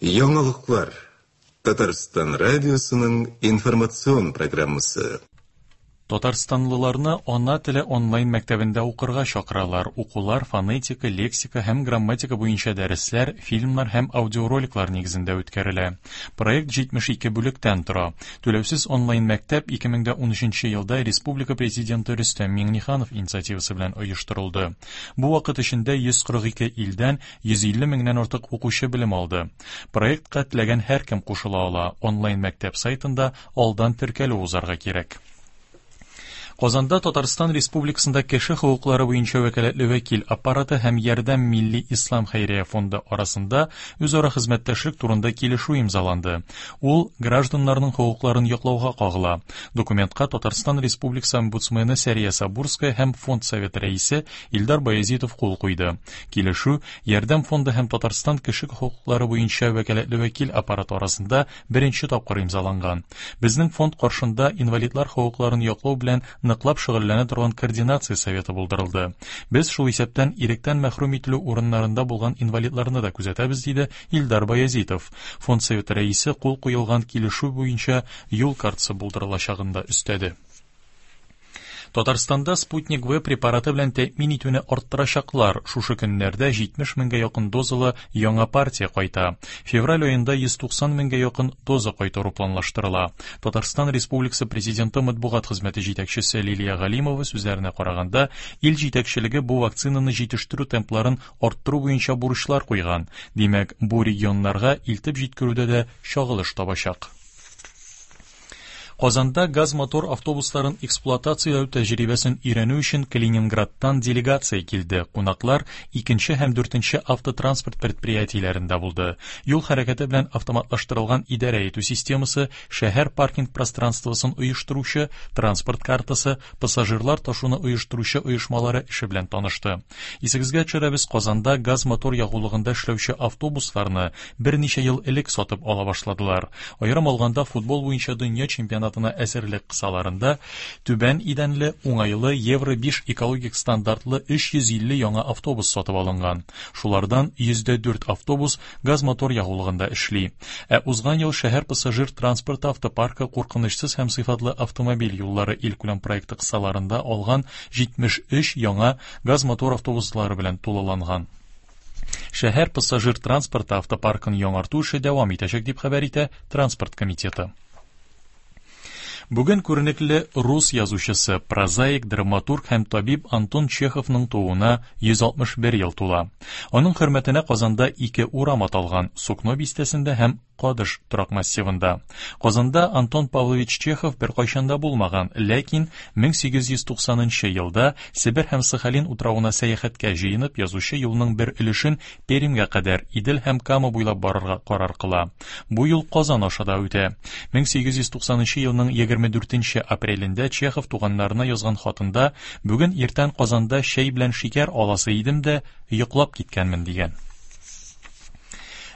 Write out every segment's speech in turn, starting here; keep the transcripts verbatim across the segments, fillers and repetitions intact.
Яңалыклар. Татарстан радиосының информацион программасы. Татарстанлыларны ана теле онлайн мәктәбендә укырга чакыралар. Укулар фонетика, лексика һәм грамматика буенча дәресләр, фильмнар һәм аудиороликлар нигезендә үткәрелә. Проект җитмеш ике бүлектән тора. Түләүсез онлайн мәктәп ике мең дә унөченче елда Республика Президенты Рөстәм Миңнеханов инициативасы белән оештырылды. Бу вакыт эчендә йөз кырык ике илдән йөз илле меңнән артык укучы белем алды. Проектка теләгән һәркем кушыла ала. Онлайн мәктәп сайтында алдан теркәлү узарга кирәк. Казанда Татарстан Республикасында кеше хокуклары буенча вәкаләтле вәкил аппараты һәм Ярдәм Милли Ислам Хәйрия фонды арасында үзара хезмәттәшлек турында килешү имзаланды. Ул гражданнарның хокукларын яклауга кагыла. Документка Татарстан Республикасы омбудсмены Сәрия Сабурская һәм фонд советы рәисе Илдар Баязитов кул куйды. Килешү Ярдәм фонды һәм Татарстан кеше хокуклары буенча вәкаләтле вәкил аппараты арасында беренче тапкыр имзаланган. Безнең фонд каршында инвалидлар хокукларын яклау белән ныклап шөгыльләнә торган координация советы булдырылды. Без шул исәптән иректән мәхрүм ителү урыннарында булган инвалидларны да күзәтәбез, диде Илдар Баязитов. Фонд советы рәисе кул куелган килешү буенча юл картасы булдырылачагын да өстәде. Татарстанда Спутник В препараты белән тәэмин итүне арттырачаклар. Шушы көннәрдә җитмеш меңгә якын дозалы яңа партия кайта. Февраль аенда йөз туксан меңгә якын доза кайтару планлаштырыла. Татарстан Республикасы Президенты матбугат хезмәте җитәкчесе Лилия Галимова сүзләренә караганда, ил җитәкчелеге бу вакцинаны җитештерү темпларын арттыру буенча бурычлар куйган. Димәк, бу регионнарга илтеп җиткерүдә дә чагылыш табачак. Казанда газ-мотор автобусларын эксплуатацияләү тәҗрибәсен өйрәнү өчен Калининградтан делегация килде. Кунаклар икенче һәм дүртенче автотранспорт предприятиеләрендә булды. Юл хәрәкәте белән автоматлаштырылган идарә итү системасы, шәһәр паркинг пространствосын оештыручы, транспорт картасы, пассажирлар ташуны оештыручы оешмалары эше белән танышты. Исегезгә төшерәбез, Казанда газ-мотор ягулыгында эшләүче автобусларны берничә ел элек сатып ала башладылар. Аерым алганда, футбол буенча дөнья чемпионаты әзерлек кысаларында түбән идәнле, уңайлы Евро биш экологик стандартлы өч йөз илле яңа автобус сатып алынган. Шулардан йөз дә дүрт автобус газ-мотор ягулыгында эшли. Ә узган ел шәһәр пассажир транспорты автопаркы куркынычсыз һәм сыйфатлы автомобиль юллары илкүләм проекты кысаларында алган җитмеш өч яңа газ-мотор автобуслары белән тулыланган. Шәһәр пассажир транспорты автопаркын яңарту эше дәвам итәчәк, дип хәбәр итә Транспорт комитеты. Бүген күренекле рус язучысы, прозаик, драматург һәм табиб Антон Чеховның тууына йөз алтмыш бер ел тула. Аның хөрмәтенә Казанда ике урам аталган: Сукно бистәсендә һәм Кадыш торак массивында. Казанда Антон Павлович Чехов бер кайчан да булмаган, ләкин мең сигез йөз туксанынчы елда Себер һәм Сахалин утравына сәяхәткә җыенып, язучы юлның бер өлешен Пермьгә кадәр Идел һәм Кама буйлап барырга карар кыла. Бу юл Казан аша да үтә. Мең сигез йөз туксанынчы елның егерме дүртенче апрелендә Чехов туганнарына язган хатында: «Бүген иртән Казанда чәй белән шикәр аласы идем дә, йоклап киткәнмен», дигән.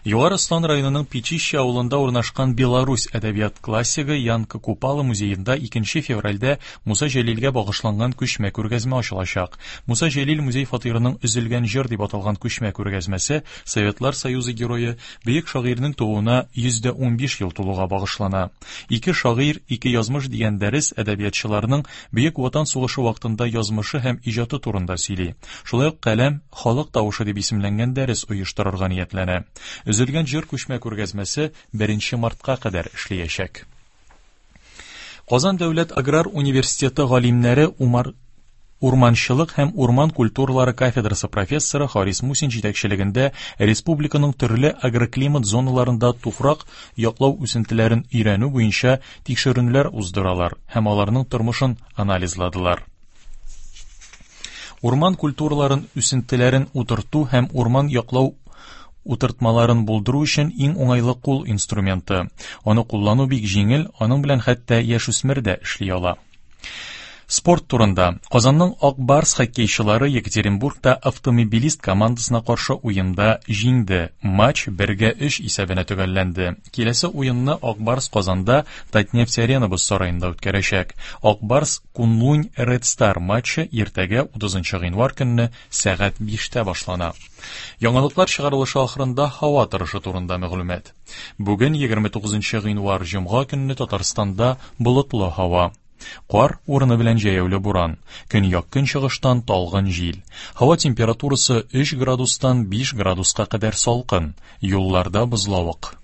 Югары Ослан районының Печище авылында урнашкан Беларусь әдәбият классигы Янка Купала музеенда икенче февральдә Муса Җәлилгә багышланган күчмә күргәзмә ачылачак. Муса Җәлил музей фатирының Өзелгән җыр дип аталган күчмә күргәзмәсе Советлар Союзы герое бөек шагыйрьнең тууына йөз дә унбиш ел тулуга багышлана. Ике шагыйрь, ике язмыш дигән дәрес әдәбиятчыларның Бөек Ватан сугышы вакытында язмышы һәм иҗаты турында сөйли. Шулай ук Каләм халык тавышы дип исемләнгән дәрес оештырырга ниятләнә. Өзелгән җыр күчмә күргәзмәсе беренче мартка кадәр эшләячәк. Казан дәүләт аграр университеты галимнәре Умар Урманчылык һәм урман культуралары кафедрасы профессоры Харис Мусин җитәкчелегендә республиканың төрле агроклимат зоналарында туфрак яклау үсентеләрен өйрәнү буенча тикшеренүләр уздыралар һәм аларның тормышын анализладылар. Урман культураларын үсентеләрен утырту һәм урман яклау утыртмаларын булдыру өчен иң уңайлы кул инструменты. Аны куллану бик җиңел, аның белән хәтта яшүсмер дә эшли ала. Спорт турында. Казанның Ак Барс хоккейчылары Екатеринбургта Автомобилист командасына каршы уенда җиңде. Матч бергә өч исәбенә төгәлләнде. Киләсе уенны Ак Барс Казанда Татнефть Арена боз сараенда үткәрәчәк. Ак Барс Кунлунь Ред Стар матчы иртәгә утызынчы гыйнвар көнне сәгать биштә башлана. Яңалыклар чыгарылышы ахырында һава торышы турында мәгълүмат. Бүген егерме тугызынчы гыйнвар җомга көнне Татарстанда болытлы һава. Кар урыны белән җәяүле буран. Көньяк-көнчыгыштан талгын җил. Һава температурасы өч градустан биш градуска кадәр салкын. Юлларда бозлавык.